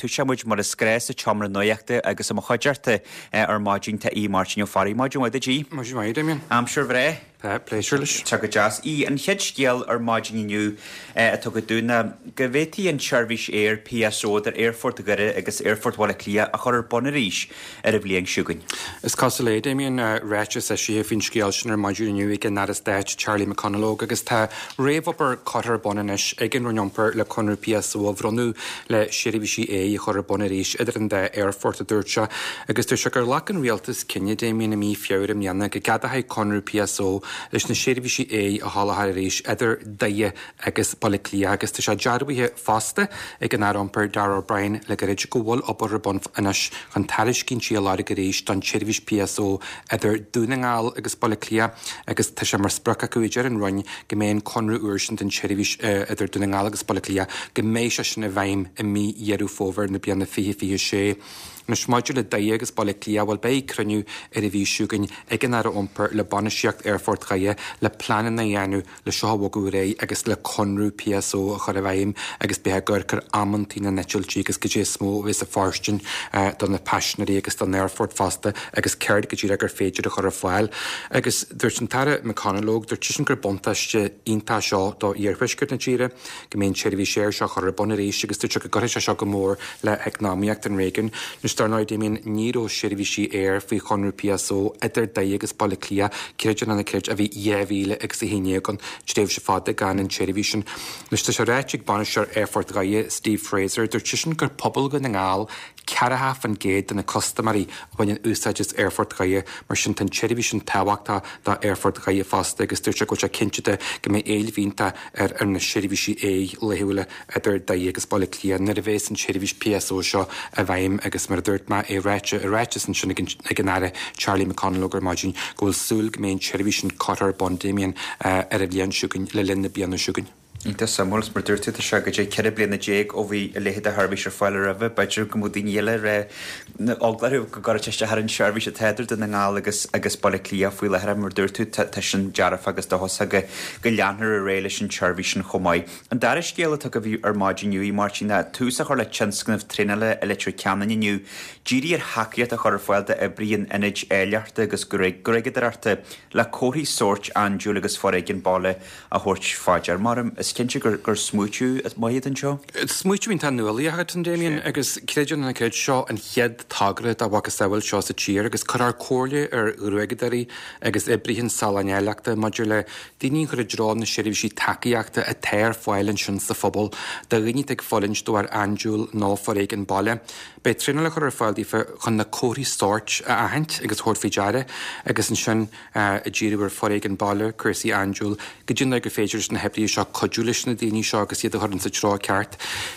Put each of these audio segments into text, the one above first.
Toiseoidh muid mar is gnáth sa tseomra nuachta agus i mo chuideachta ar maidin tá Aodh Máirtín Ó Fearraigh. Maidin mhaith duit, Aodh. Maidin mhaith, Damien. Aimsir bhreá. Tá, pléisiúr leis. Tá go deas. Aodh, an chéad scéal ar maidin inniu atá againn dúinn ná go bhféadfaí an tseirbhís aeir PSO idir Aerfort Dhoire agus Aerfort Bhaile Átha Cliath a chur ar bun arís ar an bhliain seo chugainn. Is cosúil é, Damien, ráiteas eisithe faoin scéal sin ar maidin inniu ag an Aire Stáit Charlie McConalogue agus tá réamhobair curtha ar bun anois ag an Roinn Iompair le conradh PSO a bhronnadh le seirbhísí aeir a chur ar bun arís idir an dá aerfort, a dúirt sé. Agus dúirt sé gur ghlac an Rialtas cinneadh, Damien, i mí Feabhra i mbliana go gceadófaí conradh PSO leis na seirbhísí aeir a sholáthar arís idir Doire agus Baile Átha Cliath agus tá sé dearbhaithe fosta ag an Aire Iompair Darragh O'Brien le gairid go bhfuil obair ar bun anois chun tairiscintí a lorg arís don tseirbhís PSO idir Dún na nGall agus Baile Átha Cliath agus tá sé mar sprioc acu, a deir an Roinn, go mbeidh an conradh úr sin don tseirbhís idir Dún na nGall agus Baile Átha Cliath, go mbeidh sé sin i bhfeidhm i mí Dheireadh Fómhair na bliana 2026. Anois maidir le Doire agus Baile Átha Cliath, bhuel beidh cruinniú ar an mhí seo chugainn ag an Aire Iompair le bainistíocht Aerfort Dhoire le pleananna a dhéanamh le seo a bhogadh ar aghaidh agus le conradh PSO a chur i bhfeidhm agus beidh ag amharc ar amantaí na n-eitiltí agus goidé is mó a bheas ag fóirstean do na paisinéirí agus don aerfort fosta agus céard go díreach gur féidir a chur ar fáil. Agus dúirt an tAire McConalogue, dúirt seisean gur buntáiste iontach seo do iarthuaisceart na tíre, go mbeidh an tseirbhís aeir seo curtha ar bun arís agus dúirt sé go gcuirfidh sé seo go mór le heacnamaíocht an réigiúin. Anois dar ndóigh, Damien, ní raibh seirbhísí aeir faoi chonradh PSO idir Doire agus Baile Átha Cliath, creid é nó ná creid, ó bhí 2011 ann, tréimhse fada gan an tseirbhís sin. Anois tá sé ráite ag bainisteoir Aerfort Dhoire, Steve Fraser, dúirt seisean gur pobal Dhún na nGall 40% de na custaiméirí a bhaineann úsáid as Aerfort Dhoire, mar sin tá an tseirbhís sin tábhachtach do Aerfort Dhoire fosta agus dúirt sé go bhfuil sé cinnte de go mbeidh éileamh iontach ar na seirbhísí aeir laethúla idir Doire agus Baile Átha Cliath nuair a bheas an tseirbhís PSO seo i bhfeidhm agus mar a dúirt mé, é ráite i ráiteas ansin ag an Aire Charlie McConalogue ar maidin go bhfuil súil go mbeidh an tseirbhís sin curtha ar bun, Damien, ar an bhliain seo chugainn, le linn na bliana seo chugainn. Iontach suimiúil. Is mar a dúirt tú, tá sé goidé 14 bliana ó bhí a leithéid de sheirbhís ar fáil roimhe. B'fhéidir go mbeadh daoine eile ag rá eagla orthu go gcuirfeadh sé isteach ar an tseirbhís atá idir Dún na nGall agus agus Baile Átha Cliath faoi láthair. Mar a dúirt tú, tá sin dearfach agus dóchasach go go leanfar ar aghaidh leis an tseirbhís sin chomh maith. An dara scéal atá agaibh ar maidin inniu, a Mháirtín, ná tús a chur le tionscnamh traenála i Leitir Ceanainn inniu, dírithe ar thacaíocht a chur ar fáil d'oibrithe in ionaid áilleachta agus gruaigeadóireachta le comharthaí sóirt andúil agus foréigean baile a thabhairt fá dear. Mar is cinnte gur gur smaoitiú maith atá anseo. Smaoitiú iontach nuálaíoch atá ann, Damien, agus creid é nó ná creid, seo an chéad togra dá mhacasamhail seo sa tír agus cuirfear comhairle ar ghruaigeadóirí agus oibrithe an saláin áilleachta maidir le daoine a chur i dtreo na seirbhísí tacaíochta atá ar fáil ansin sa phobal do dhaoine atá ag fulaingt de bharr andúil nó foréigean baile. Beidh traenáil á chur ar fáil daofa chun na comharthaí sóirt a aithint agus a thabhairt faoi deara agus ansin ag díriú ar foréigean baile, cúrsaí andúil, goidé an dóigh gur féidir leis na hoibrithe seo cuidiú leis na daoine seo agus iad a chur insa treo ceart.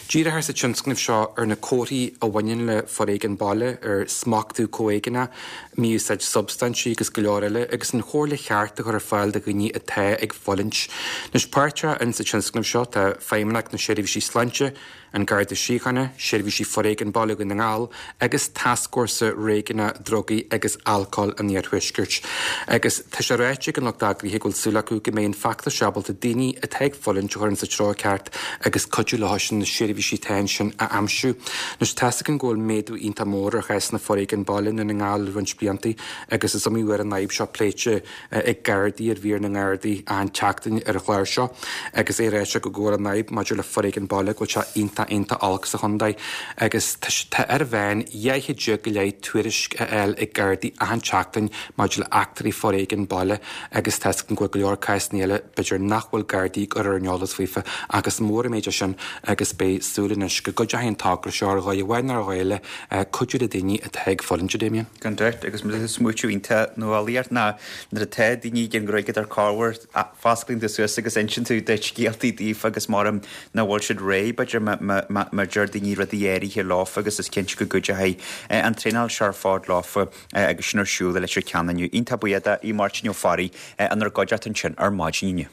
Díreofar sa tionscnamh seo ar na comharthaí a bhaineann le foréigean baile, ar smachtú comhéigneach, mí-úsáid substaintí agus go leor eile, agus an chomhairle cheart a chur ar fáil do dhaoine atá ag fulaingt. Anois, páirteach insa tionscnamh seo tá Feidhmeannacht na Seirbhísí Sláinte, An Garda Síochána, Seirbhísí Foréigin Baile Dhún na nGall agus Tascfhórsa Réigiúnach Drugaí agus Alcóil an Iarthuaiscirt. Agus tá sé ráite ag an lucht eagraithe go bhfuil súil acu go mbeidh an feachtas seo ábalta daoine atá ag fulaingt a chur insa treo ceart agus cuidiú leo sin na seirbhísí atá ansin a aimsiú. Anois tá's againn go bhfuil méadú iontach mór ar chásanna foréigin baile i nDún na nGall le roinnt blianta agus is iomaí uair an fhadhb seo pléite ag Gardaí ar mhír na nGardaí achan tseachtain ar an chlár seo agus é ráite go bhfuil an fhadhb maidir le foréigean baile go bhfuil sé iontach iontach olc sa chontae agus tá ar an mheán 12 go leith tuairisc a fháil ag Gardaí achan tseachtain maidir le eachtraí foréigean baile agus tá 'fhios againn go bhfuil go leor cásanna eile b'fhéidir nach bhfuil Gardaí ag cur ar an eolas faofa ach is mór an méid é sin agus beidh súil anois go gcuideoidh an togra seo ar dhóigh amháin nó ar dhóigh eile cuidiú le daoine atá ag fulaingt, a Damien. Gan dabht, agus mar is smaoitiú iontach nuálaíoch ná nuair atá daoine ag an ghruaigeadóir corruair, fosclaíonn tú suas agus insíonn tú do scéaltaí daofa agus maram nach bhfuil siad réidh, b'fhéidir, má deir daoine rudaí áirithe leofa agus is cinnte go gcuideoidh an traenáil seo ar fad leofa agus sin ar siúl i Leitir Ceanainn inniu. Iontach buíoch de Aodh Máirtín Ó Fearraigh inár gcuideachta ansin ar maidin inniu.